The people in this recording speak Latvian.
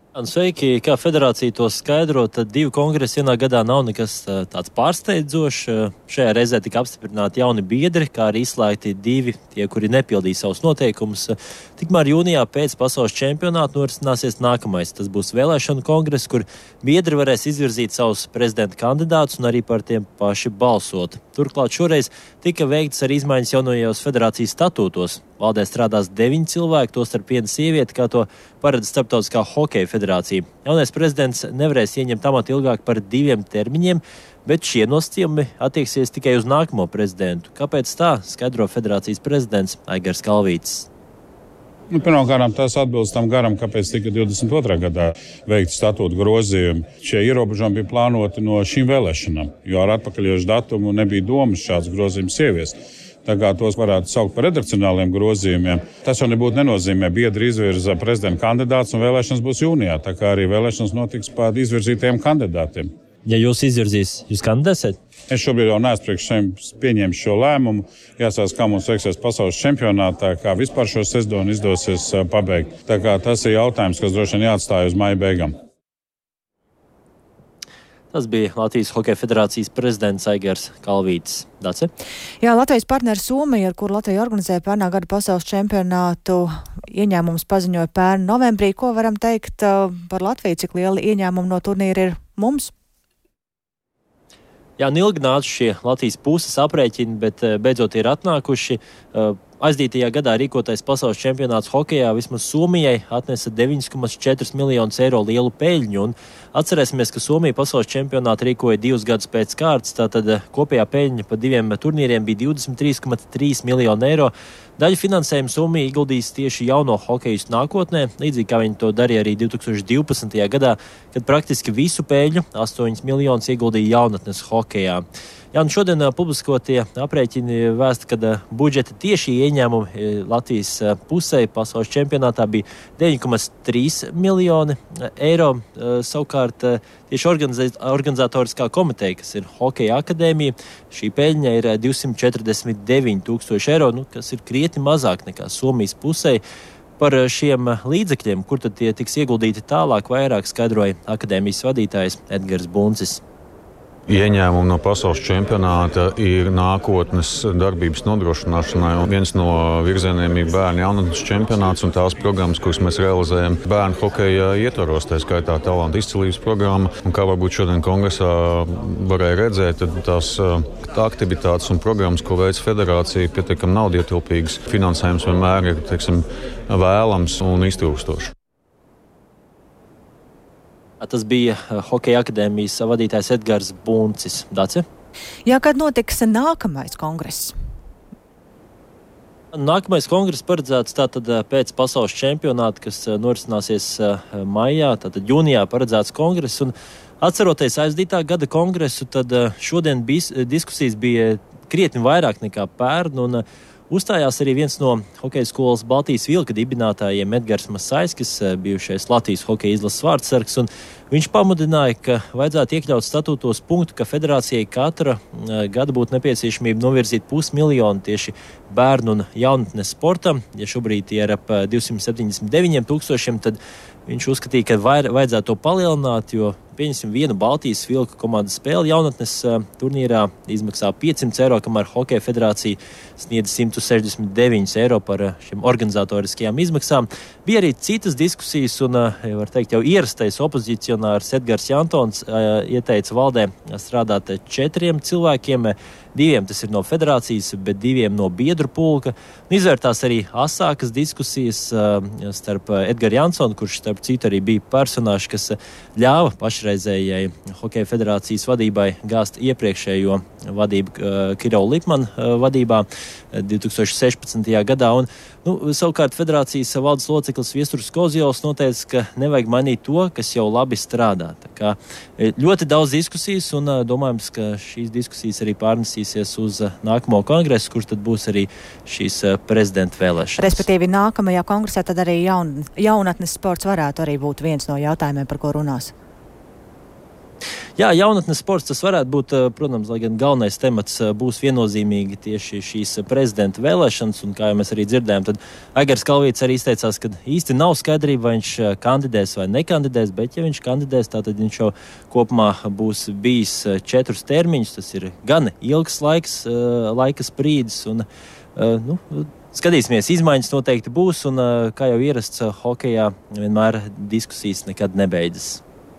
Sveiki, kā federācija to skaidro, tad 2 kongresi vienā gadā nav nekas tāds pārsteidzošs. Šajā reizē tika apstiprināti jauni biedri, kā arī izslēgti 2 tie, kuri nepildīja savus noteikumus. Tikmēr jūnijā pēc pasaules čempionāta norisināsies nākamais. Tas būs vēlēšanu kongress, kur biedri varēs izvirzīt savus prezidenta kandidātus un arī par tiem paši balsot. Turklāt šoreiz tika veikts arī izmaiņas jaunajos federācijas statūtos. Valdē strādās 9 cilvēki, tostarp 1 sieviete, kā to paredz Starptautiskā hokeja federācija. Jaunais prezidents nevarēs ieņemt amatu ilgāk par 2 termiņiem, bet šie nosacījumi attieksies tikai uz nākamo prezidentu. Kāpēc tā, skaidro federācijas prezidents Aigars Kalvītis. Pirmkārt, tas atbilst tam garam, kāpēc tika 22. gadā veikti statūta grozījumi. Šie ierobežojumi bija plānoti no šīm vēlēšanām, jo ar atpakaļošu datumu nebija domas šāds grozījums ieviest. Tā kā tos varētu saukt par redakcionāliem grozījumiem. Tas jau nebūtu nenozīmē, biedri izvirza prezidenta kandidātus un vēlēšanas būs jūnijā. Tā kā arī vēlēšanas notiks pār izvirzītajiem kandidātiem. Ja jūs izvirzīs, jūs kandidēsiet? Es šobrīd jau neesmu priekš sevi pieņēmis šo lēmumu. Jāsaka, kā mums veiksies pasaules čempionātā, kā vispār šo sezonu izdosies pabeigt. Tā kā tas ir jautājums, kas droši vien jāatstāj uz maija beigām. Tas bija Latvijas Hokeja federācijas prezidents Aigars Kalvītis. Dace? Jā, Latvijas partneri Somija, ar kuru Latvija organizēja pērnā gada pasaules čempionātu, ieņēmumus paziņoja pērn novembrī. Ko varam teikt par Latviju? Cik lieli ieņēmumi no turnīra ir mums? Jā, ilgi nāca šie Latvijas puses aprēķini, bet beidzot ir atnākuši. Aizdītajā gadā rīkotais pasaules čempionāts hokejā vismaz Somijai atnesa 9,4 miljonus eiro lielu peļņu. Un atcerēsimies, ka Somija pasaules čempionātu rīkoja 2 gadus pēc kārtas, tātad kopējā peļņa pa 2 turnīriem bija 23,3 miljonu eiro. Daļu finansējumu Somija ieguldīs tieši jauno hokejistu nākotnē, līdzīgi kā viņi to darīja arī 2012. gadā, kad praktiski visu peļņu, 8 miljonus, ieguldīja jaunatnes hokejā. Jā, un šodien publiskotie aprēķini vēsta, ka budžeta tieši ieņēmumi Latvijas pusē pasaules čempionātā bija 9,3 miljoni eiro. Savukārt tieši organizatoriskā komiteja, kas ir Hokeja akadēmija, šī peļņa ir 249 000 eiro, kas ir krietni mazāk nekā Somijas pusē. Par šiem līdzekļiem, kur tad tie tiks ieguldīti tālāk, vairāk skaidroja akadēmijas vadītājs Edgars Buncis. Ieņēmumi no pasaules čempionāta ir nākotnes darbības nodrošināšanai. Viens no virzieniem ir bērnu jaunatnes čempionāts un tās programmas, kuras mēs realizējam bērnu hokeja ietvaros, tā skaitā talantu izcilības programma. Un kā varbūt šodien kongresā varēja redzēt, tad tās aktivitātes un programmas, ko veic federācija, pietiekami naudietilpīgas. Finansējums vienmēr ir, vēlams un iztrūkstošs. Tas bija Hokeja akadēmijas vadītājs Edgars Buncis. Dace? Jā, kad notiks nākamais kongress? Nākamais kongress paredzēts tātad pēc pasaules čempionāta, kas norisināsies maijā, tātad jūnijā paredzēts kongress. Un atceroties aizdītā gada kongresu, tad šodien diskusijas bija krietni vairāk nekā pērn. Un uzstājās arī viens no hokeja skolas Baltijas Vilka dibinātājiem Edgars Masaiskis, bijušais Latvijas hokeja izlases vārdsargs. Viņš pamudināja, ka vajadzētu iekļaut statūtos punktu, ka federācijai katra gada būtu nepieciešamība novirzīt 500 000 tieši bērnu un jaunatnes sportam. Ja šobrīd ir ap 279 000, tad viņš uzskatīja, ka vajadzētu to palielināt, jo pieņemsim vienu Baltijas Vilka komandas spēli jaunatnes turnīrā izmaksā 500 eiro, kamēr Hokeja federācija sniedz 169 eiro par šiem organizatoriskajām izmaksām. Bija arī citas diskusijas un, var teikt, jau ierastais opozicionārs Edgars Jantons ieteica valdē strādāt 4 cilvēkiem. 2 tas ir no federācijas, bet 2 no biedru pulka. Izvērtās arī asākas diskusijas starp Edgars Jansonu, kurš starp citu arī bija personāžs, kas ļāva pašreizējai Hokeja federācijas vadībai gāzt iepriekšējo vadību Kirovu Lipmanu vadībā 2016. gadā. Un, savukārt federācijas valdes loceklis Viesturs Kozjovs noteica, ka nevajag mainīt to, kas jau labi strādā. Tā kā ļoti daudz diskusijas un domājams, ka šīs diskusijas arī pārnesīsies uz nākamo kongresu, kurš tad būs arī šīs prezidenta vēlēšanas. Respektīvi nākamajā kongresā tad arī jaunatnes sports varētu arī būt viens no jautājumiem, par ko runās. Jā, jaunatnes sports tas varētu būt, protams, lai gan galvenais temats būs viennozīmīgi tieši šīs prezidenta vēlēšanas, un kā jau mēs arī dzirdējām, tad Aigars Kalvītis arī izteicās, ka īsti nav skaidrība, vai viņš kandidēs vai nekandidēs, bet ja viņš kandidēs, tad viņš jau kopumā būs bijis 4 termiņus, tas ir gan ilgs laika sprīdis, un skatīsimies, izmaiņas noteikti būs, un kā jau ierasts hokejā, vienmēr diskusijas nekad nebeidzas.